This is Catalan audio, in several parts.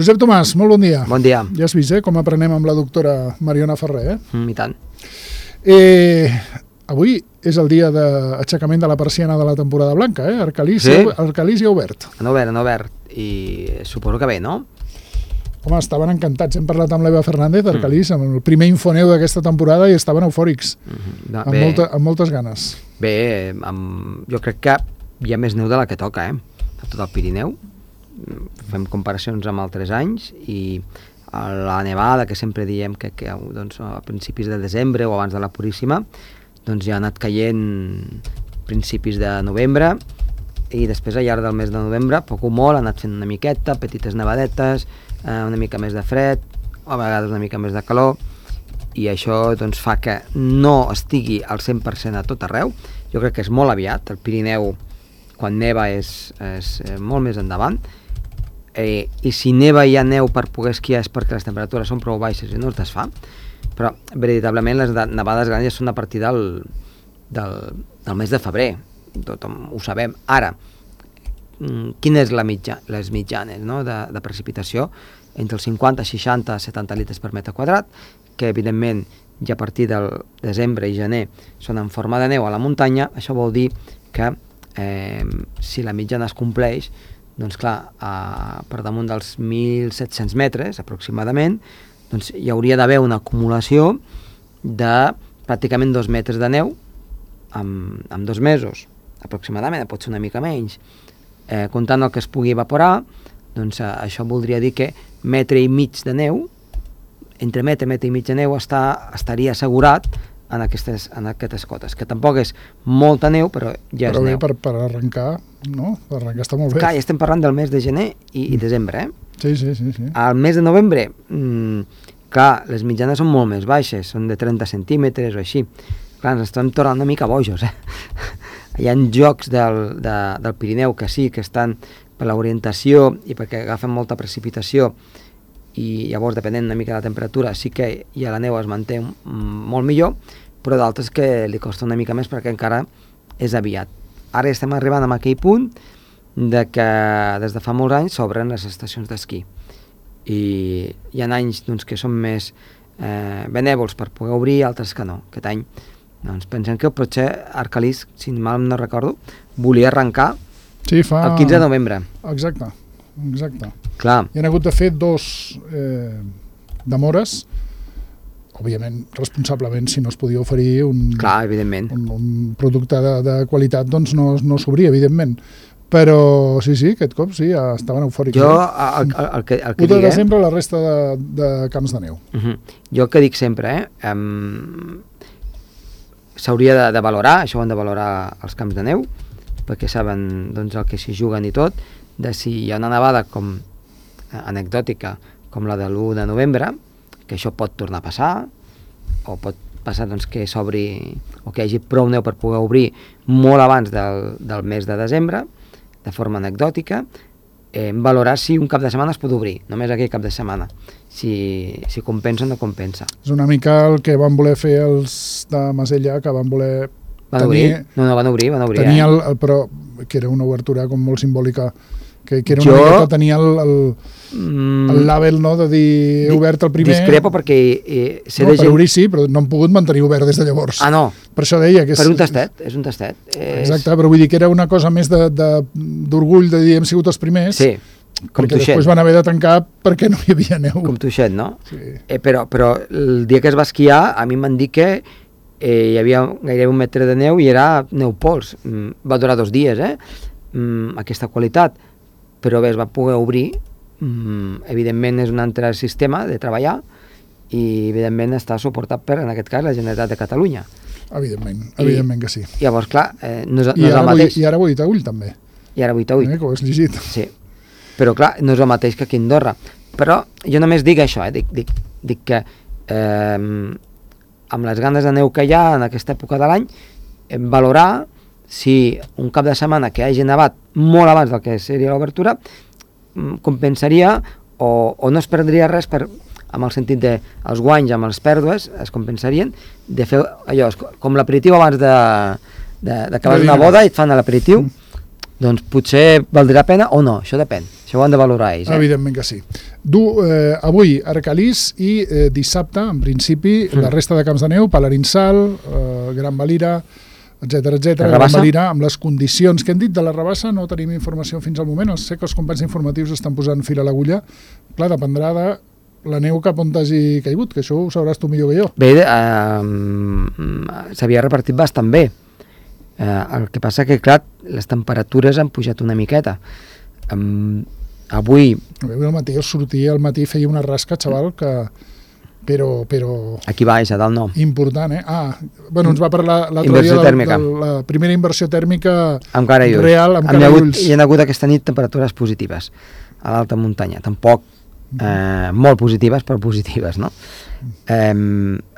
Josep Tomàs, molt bon dia. Bon dia. Ja has vist, com aprenem amb la doctora Mariona Ferrer, I tant. Avui és el dia d'aixecament de la persiana de la temporada blanca, Arcalís, Sí. Arcalís ja obert. Han obert. I suposo que bé, no? Home, estaven encantats. Hem parlat amb l'Eva Fernández, Arcalís, amb el primer infoneu d'aquesta temporada i estaven eufòrics, amb moltes ganes. Bé, jo crec que hi ha més neu de la que toca, a tot el Pirineu. Fem comparacions amb altres anys i la nevada, que sempre diem que doncs, a principis de desembre o abans de la Puríssima, doncs ja ha anat caient principis de novembre i després al llarg del mes de novembre, poc o molt, ha anat fent una miqueta, petites nevadetes, una mica més de fred, o a vegades una mica més de calor, i això doncs, fa que no estigui al 100% a tot arreu. Jo crec que és molt aviat. El Pirineu, quan neva, és molt més endavant, i si neva i hi ha neu per poder esquiar és perquè les temperatures són prou baixes i no es desfà, però veritablement les nevades grans ja són a partir del mes de febrer. Tothom ho sabem. Ara, quines les mitjanes, no? de precipitació? Entre els 50, 60, 70 litres per metre quadrat, que evidentment ja a partir del desembre i gener són en forma de neu a la muntanya. Això vol dir que si la mitjana es compleix, doncs clar, per damunt dels 1.700 metres aproximadament, doncs hi hauria d'haver una acumulació de pràcticament 2 metres de neu en 2 mesos aproximadament, pot ser una mica menys. Comptant el que es pugui evaporar, doncs això voldria dir que metre i mig de neu, entre metre i mig de neu estaria assegurat en aquestes cotes, que tampoc és molta neu, però ja és neu. Però bé, per arrencar, no? Per arrencar està molt bé. Clar, ja estem parlant del mes de gener i desembre, Sí. Al mes de novembre, clar, les mitjanes són molt més baixes, són de 30 centímetres o així. Clar, ens estem tornant una mica bojos, Hi ha jocs del Pirineu que sí, que estan per l'orientació i perquè agafen molta precipitació, i llavors, depenent una mica de la temperatura, sí que ja la neu es manté molt millor, però d'altres que li costa una mica més perquè encara és aviat. Ara estem arribant a aquell punt de que des de fa molts anys s'obren les estacions d'esquí. I hi ha anys doncs, que són més benèvols per poder obrir, altres que no. Aquest any doncs, pensem que potser Arcalís, si mal no recordo, volia arrencar el 15 de novembre. Exacte. Clar. Hi han hagut de fer 2 demores, òbviament, responsablement, si no es podia oferir un producte de qualitat, doncs no s'obria, evidentment. Però sí, aquest cop sí, estaven eufòrics. Jo, el que 1 de desembre, la resta de camps de neu. Jo el que dic sempre, s'hauria de valorar, això ho han de valorar els camps de neu, perquè saben doncs, el que s'hi juguen i tot, de si hi ha una nevada anecdòtica com la de l'1 de novembre, que això pot tornar a passar, o pot passar doncs, que s'obri o que hi hagi prou neu per poder obrir molt abans del mes de desembre, de forma anecdòtica, valorar si un cap de setmana es pot obrir, només aquell cap de setmana, si compensa o no compensa. És una mica el que van voler fer els de Masella, que van voler Van obrir? No, van obrir. Tenia però que era una obertura com molt simbòlica, que era una mica que tenia el label, no?, de dir he obert el primer. Discrepo perquè per obrir sí, però no han pogut mantenir obert des de llavors. No. Per això deia que és un tastet. Exacte, però vull dir que era una cosa més d'orgull de dir hem sigut els primers. Sí. Perquè després van haver de tancar perquè no hi havia neu. Com Tuixet, no? Sí. Però el dia que es va esquiar, a mi m'han dit que hi havia gairebé 1 metre de neu i era neu pols. Va durar 2 dies, aquesta qualitat. Però bé, es va poder obrir. Evidentment és un altre sistema de treballar i evidentment està suportat per, en aquest cas, la Generalitat de Catalunya. Evidentment que sí. Llavors, clar, no és el mateix. I ara 8 a 8 també. I ara 8 a 8. Que ho has llegit. Sí. Però clar, no és el mateix que aquí a Andorra. Però jo només dic això, dic que amb les ganes de neu que hi ha en aquesta època de l'any, valorar si un cap de setmana que hagi nevat molt abans del que seria l'obertura compensaria o no es perdria res amb el sentit de els guanys amb les pèrdues es compensarien de fer allò com l'aperitiu abans d'acabar una boda i et fan l'aperitiu doncs potser valdrà la pena o no, això depèn. Això ho han de valorar ells. Evidentment que sí. Avui Arcalís i dissabte, en principi, la resta de camps de neu, Palarinsal, Gran Valira, etc. Gran Valira, amb les condicions que hem dit de la Rabassa, no tenim informació fins al moment. Sé que els companys informatius estan posant fil a l'agulla. Clar, dependrà de la neu cap on t'hagi caigut, que això ho sabràs tu millor que jo. Bé, s'havia repartit bastant bé. El que passa que, clar, les temperatures han pujat una miqueta. Avui... El matí sortia, al matí feia una rasca, xaval, que... Però... Aquí baix, a dalt no. Important, Bueno, ens va parlar l'altre dia de la primera inversió tèrmica real amb cara i ulls. Hi ha hagut aquesta nit temperatures positives a l'alta muntanya. Tampoc molt positives, però positives, no?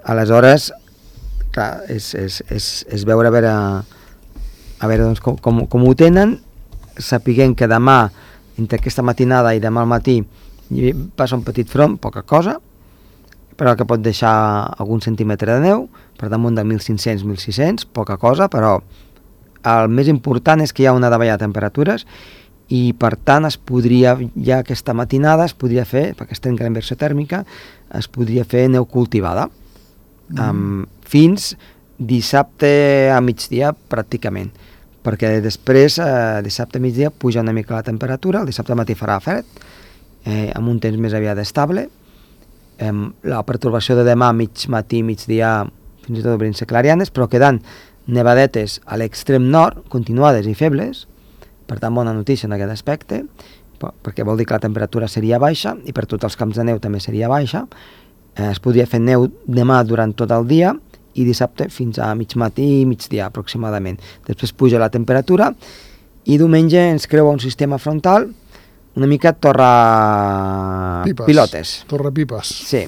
Aleshores, clar, és veure a veure doncs, com ho tenen, sapiguem que demà, entre aquesta matinada i demà al matí, passa un petit front, poca cosa, però que pot deixar algun centímetre de neu, per damunt de 1.500-1.600, poca cosa, però el més important és que hi ha una davallada de temperatures i per tant es podria, ja aquesta matinada es podria fer, perquè estem en la inversió tèrmica, es podria fer neu cultivada fins dissabte a migdia pràcticament, perquè després dissabte a migdia puja una mica la temperatura, el dissabte al matí farà fred, amb un temps més aviat estable. La pertorbació de demà mig matí, migdia, fins i tot obrint-se clarianes, però quedant nevadetes a l'extrem nord, continuades i febles, per tant bona notícia en aquest aspecte, perquè vol dir que la temperatura seria baixa i per tots els camps de neu també seria baixa. Es podria fer neu demà durant tot el dia i dissabte fins a mig matí i migdia aproximadament. Després puja la temperatura i diumenge ens creua un sistema frontal una mica pilotes. Torrepipes. Sí,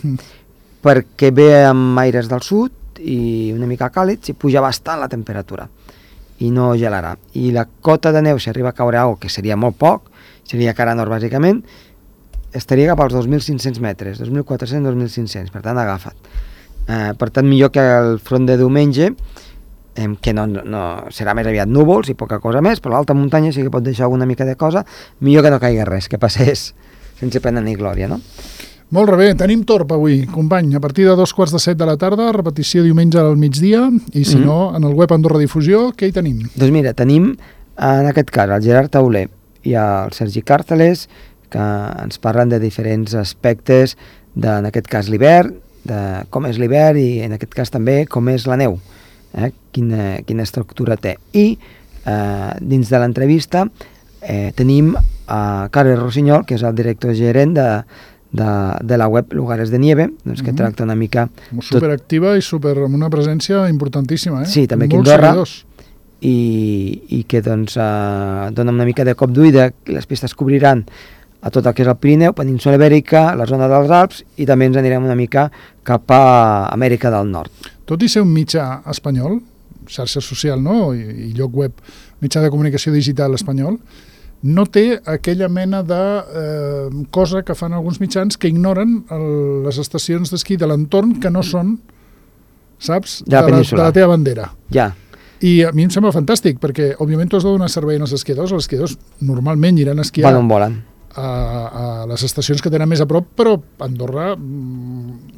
perquè ve amb aires del sud i una mica càlids i puja bastant la temperatura i no gelarà. I la cota de neu, si arriba a caure alguna cosa, que seria molt poc, seria cara nord bàsicament, estaria cap als 2.500 metres, 2.400, 2.500, per tant agafa't. Per tant, millor que el front de diumenge, que no serà més aviat núvols i poca cosa més, però l'alta muntanya sí que pot deixar alguna mica de cosa, millor que no caigui res, que passés sense pena ni glòria, no? Molt bé, tenim torb avui, company, a partir de 2:45 de la tarda, repetició diumenge al migdia, i si no, en el web Andorra Difusió, què hi tenim? Doncs mira, tenim en aquest cas el Gerard Tauler i el Sergi Càrteles, que ens parlen de diferents aspectes, en aquest cas l'hivern, de com és l'hivern i en aquest cas també com és la neu, quina estructura té. I dins de l'entrevista tenim Carles Rossinyol, que és el director gerent de la web Lugares de Nieve, doncs, que tracta una mica... Superactiva i amb una presència importantíssima, Sí, també aquí a Andorra, i que doncs, dona una mica de cop d'ull de les pistes cobriran a tot el que és el Pirineu, Península Ibèrica, la zona dels Alps, i també ens anirem una mica cap a Amèrica del Nord. Tot i ser un mitjà espanyol, xarxa social, no?, i lloc web, mitjà de comunicació digital espanyol, no té aquella mena de cosa que fan alguns mitjans que ignoren les estacions d'esquí de l'entorn que no són, saps?, de la teva bandera. Ja. I a mi em sembla fantàstic, perquè òbviament tu has de donar servei als esquiadors. Els esquiadors normalment aniran a esquiar van on volen, a les estacions que tenen més a prop, però Andorra...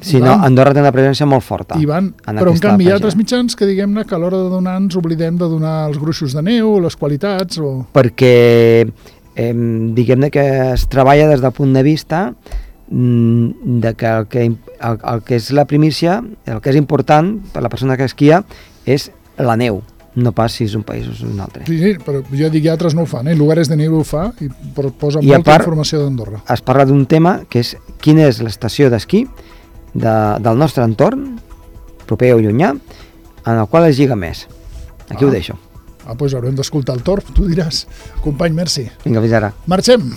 Sí, no, Andorra té una presència molt forta. Però en canvi hi ha altres mitjans que diguem-ne que a l'hora de donar ens oblidem de donar els gruixos de neu, les qualitats... Perquè diguem-ne que es treballa des del punt de vista de que el que és la primícia, el que és important per la persona que esquia és la neu, no pas si és un país o és un altre. Sí, però jo dic que altres no ho fan, Lugares de Nieve ho fa i posa molta informació d'Andorra. Es parla d'un tema que és quina és l'estació d'esquí del nostre entorn, proper o llunyà, en el qual es lliga més. Aquí ho deixo. Doncs haurem d'escoltar el torb, tu diràs. Company, merci. Vinga, fins ara. Marxem.